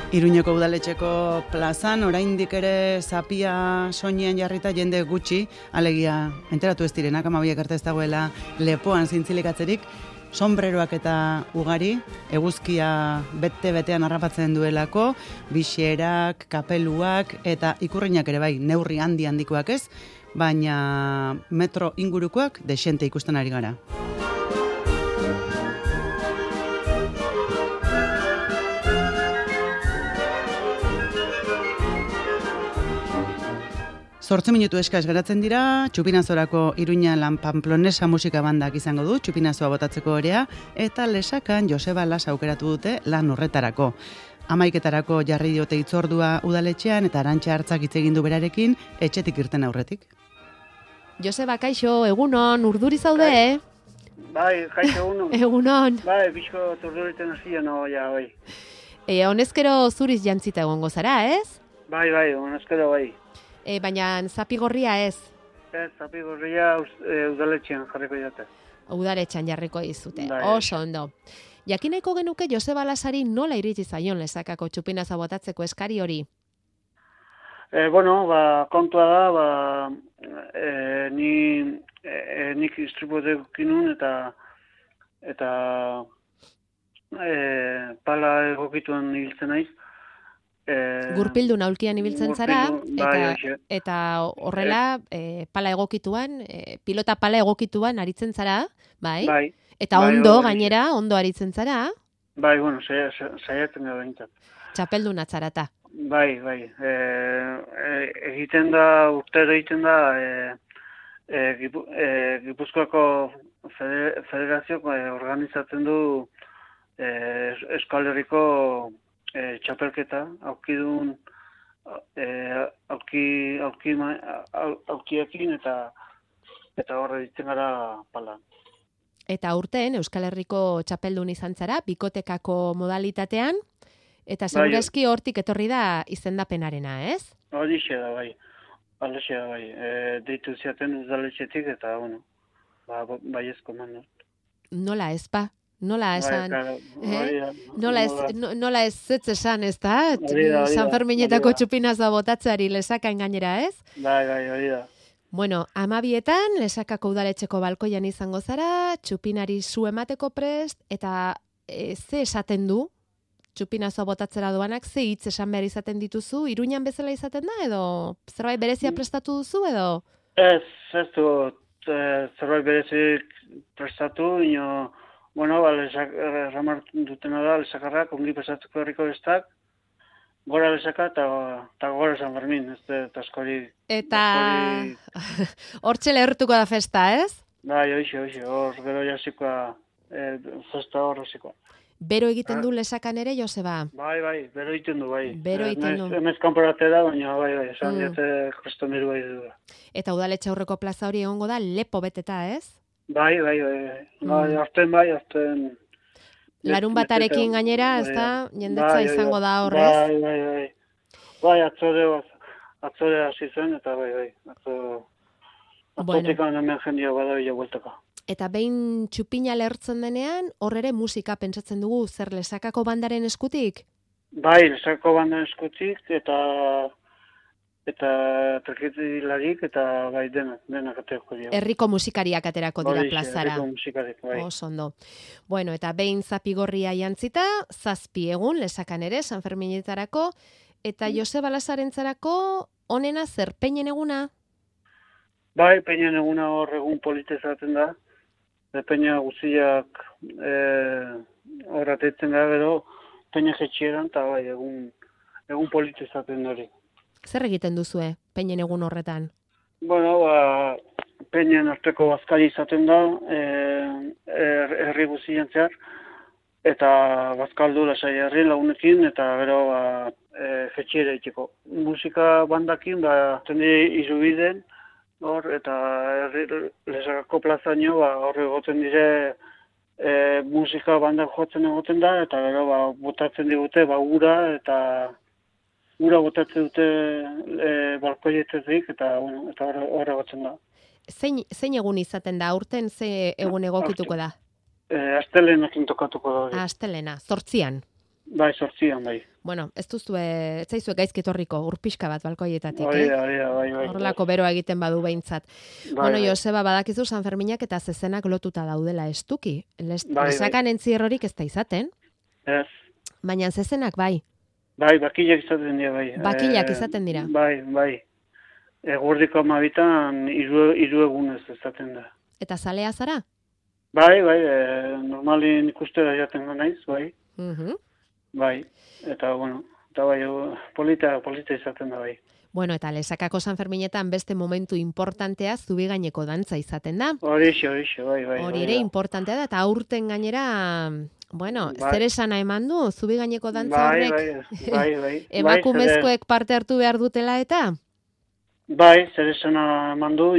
Iruñeko udaletxeko plazan, oraindik ere zapia soinean jarrita jende gutxi, alegia enteratu ez direnak, amabiak arte ez dagoela lepoan zintzilikatzerik, sombreroak eta ugari, eguzkia bete-betean harrapatzen duelako, bixerak, kapeluak eta ikurrinak ere bai, neurri handikoak ez, baina metro ingurukoak desente ikusten ari gara. Zortzi minutu eskaz geratzen dira, Txupinazorako Iruña Lan Pamplonesa musika bandak izango du, Txupinazoa botatzeko orea, eta Lesakan Joseba Las aukeratu dute lan horretarako. 11:00 jarri diote hitzordua udaletxean eta Arantxa Hartzak hitz egin du berarekin, etxetik irten aurretik. Joseba, kaixo, egunon, urduri zaude, Bai, kaixo egunon. Egunon. Bai, bizko urduriten hasia no, ja, bai. Honezkero zuriz jantzita egongo zara, ez? Bai, honezkero bai. Baina zapigorria ez? Ez, zapigorria udaletxean jarriko jate. Udaletxean jarriko izute, Bai. oso ondo. Jakineko genuke Joseba Lasari nola iritsi zaion Lesakako Txupinaza botatzeko eskari hori? Kontua da, nik istripotekin eta pala egokituan ibiltzen naiz. Gurpildun aulkian ibiltzen zara, bai, eta horrela pala egokituan, pilota pala egokituan aritzen zara, bai? Bai. Eta ondo, gainera, ondo aritzen zara? Bai, saiatzen da behintzat. Txapeldun atzarata. Bai. Urtero egiten da, Gipuzkoako federazioak organizatzen du Euskal Herriko txapelketa, aukiekin eta horre ditzen gara pala. Eta urten Euskal Herriko txapeldun izan zara, bikotekako modalitatean, eta segurazki hortik etorri da izendapenarena, ez? Horixe da, bai. Deitu ziaten udaletxetik eta, bai ezko man. Nola ez ba? Nola esan? Nola ez zetz esan, ez da? San Ferminetako Txupinazoa botatzeari Lesakan gainera, ez? Bai, hori da. Bueno, 12:00 Lesakako udaletxeko balkoian izango zara, Txupinari zu emateko prest, eta ze esaten du? Txupinazoa botatzera doanak, ze hitz esan behar izaten dituzu? Iruñan bezala izaten da, edo zerbait berezia prestatu duzu, edo? Ez du zerbait berezik prestatu, ino... Ramar dutena da, Lesakarrak, ongi pasatzeko herriko bestak, gora Lesaka eta gora San Fermin, eta askori... Eta hortxe lehertuko da festa, ez? Bai, hoxe, hor gero jasikoa, festa hor hasikoa. Bero egiten du Lesakan ere, Joseba? Bai, bero egiten du, bai. Bero egiten du. Emez kanporate da, baina bai, esan diate kostomeru bai du. Eta udaletxe aurreko plaza hori egongo da lepo beteta, ez? Bai, azten. Larun batarekin gainera, ez da, jendetza izango da horrez? Bai. Bai, atzore hasi zen, eta bai. Atzotik hemen jendia badabila bueltaka. Eta behin Txupina lehertzen denean, hor ere musika pentsatzen dugu, zer Lesakako bandaren eskutik? Bai, Lesakako bandaren eskutik, eta treketilarik eta bai denak aterako dira. Herriko musikariak aterako dira plazara. Herriko musikariak, bai. Oso ondo. Bueno, eta behin zapigorria jantzita, 7 egun Lesakan ere, San Ferminetarako, eta Joseba Lasarentzarako onena zer, peinen eguna? Bai, peinen eguna hor egun polite zaten da. Peina guziak hor atetzen da gero, peina jetxieran, eta bai, egun polite zaten hori. Zer egiten duzue, peinen egun horretan? Peinen arteko bazkari izaten da, herri guzien zehar, eta bazkaldu lasai herri lagunekin, eta gero jetxiera itxeko. Musika bandakin, tendi izubiden, eta Lesakako plazaino, hor egoten dire, musika bandak jotzen egoten da, eta gero botatzen digute, ura, eta ura botatzen dute balkoietetik, eta horre gotzen da. Zein egun izaten da, aurten ze egun egokituko da? Astelenakin tokatuko da. Astelena, 8an. Bai, 8an, bai. Bueno, ez zaizue gaizki etorriko urpixka bat balkoietatik, bai. Horrelako beroa egiten badu behintzat. Bueno, Joseba, badakizu San Ferminak eta zezenak lotuta daudela estuki. Lesakan entzierrorik ez da izaten. Ez. Baina zezenak bai. Bai, bakilak izaten dira, bai. Bakilak izaten dira. Bai. Egurdiko 12an 3 egunez izaten da. Eta zalea zara? Bai, normalin ikustera jaten da naiz, bai. Bai, eta bueno, polita izaten da, bai. Bueno, eta Lesakako San Ferminetan beste momentu importantea zubigaineko dantza izaten da. Horixe, bai. Hori ere importantea da, eta aurten gainera, bueno, zer esana eman du, zubigaineko dantza horrek? Bai. Emakumezkoek parte hartu behar dutela eta? Bai, zer esana eman du,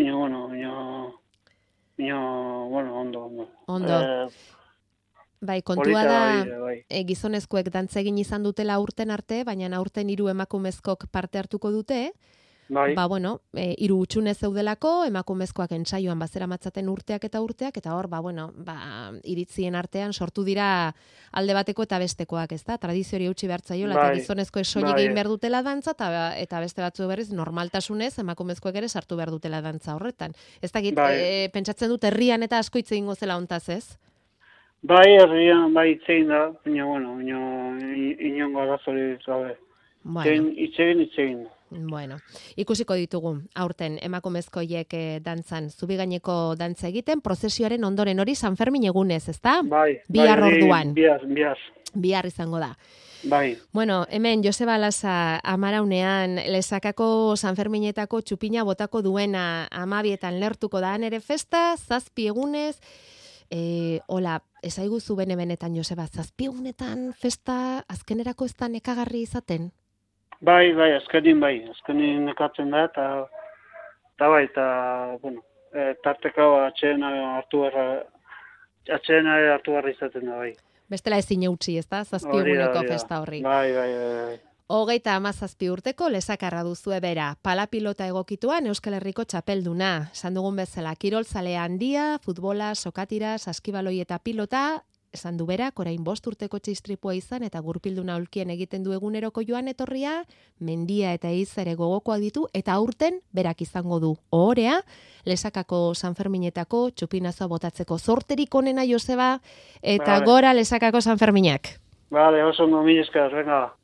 ondo. Bai, kontua da gizonezkoek dantza egin izan dutela aurten arte, baina aurten 3 emakumezkok parte hartuko dute. Bai. 3 utxune zeudelako, emakumezkoak entsaioan bazera matzaten urteak, eta hor, iritzien artean sortu dira alde bateko eta bestekoak, ez da? Tradiziori eutxi behartzaiola, eta gizonezkoek soilik egin behar dutela dantza, eta beste batzu berriz normaltasunez emakumezkoek ere sartu behar dutela dantza horretan. Ez dakit, pentsatzen dut herrian eta asko hitz egingo zela hontaz, ez? Bai, herrian, itzein da, baina, inongo arazori gabe. Itzegin. Bueno, ikusiko ditugu, aurten emakumezkoiek dantzan, zubigaineko dantza egiten, prozesioaren ondoren hori San Fermin egunez, ezta? Bai. Bihar orduan. Bihar izango da. Bai. Bueno, hemen Joseba Lasa amaraunean Lesakako San Ferminetako txupina botako duena 12etan lertuko da ere festa, 7 egunez, hola, ezaiguzu benetan, Joseba, 7 egunetan festa azkenerako ez da nekagarri izaten? Bai, azkenin nekatzen da, eta bueno, tarteko atxeena hartu barra izaten da, bai. Bestela ezin eutxi, ez da, 7 eguneko festa horri. Bai. 37 urteko lesakarra duzue bera, palapilota egokituan Euskal Herriko txapelduna. Esan dugun bezala, kirolzalea handia, futbola, sokatira, saskibaloi eta pilota, esan du berak, orain 5 urteko txistripua izan eta gurpilduna aulkien egiten du eguneroko joan etorria, mendia eta izare gogokoak ditu, eta aurten berak izango du ohorea, Lesakako San Ferminetako txupinazoa botatzeko. Zorterik onena, Joseba, eta gora Lesakako San Ferminak. Vale, oso ondo, mila esker, venga.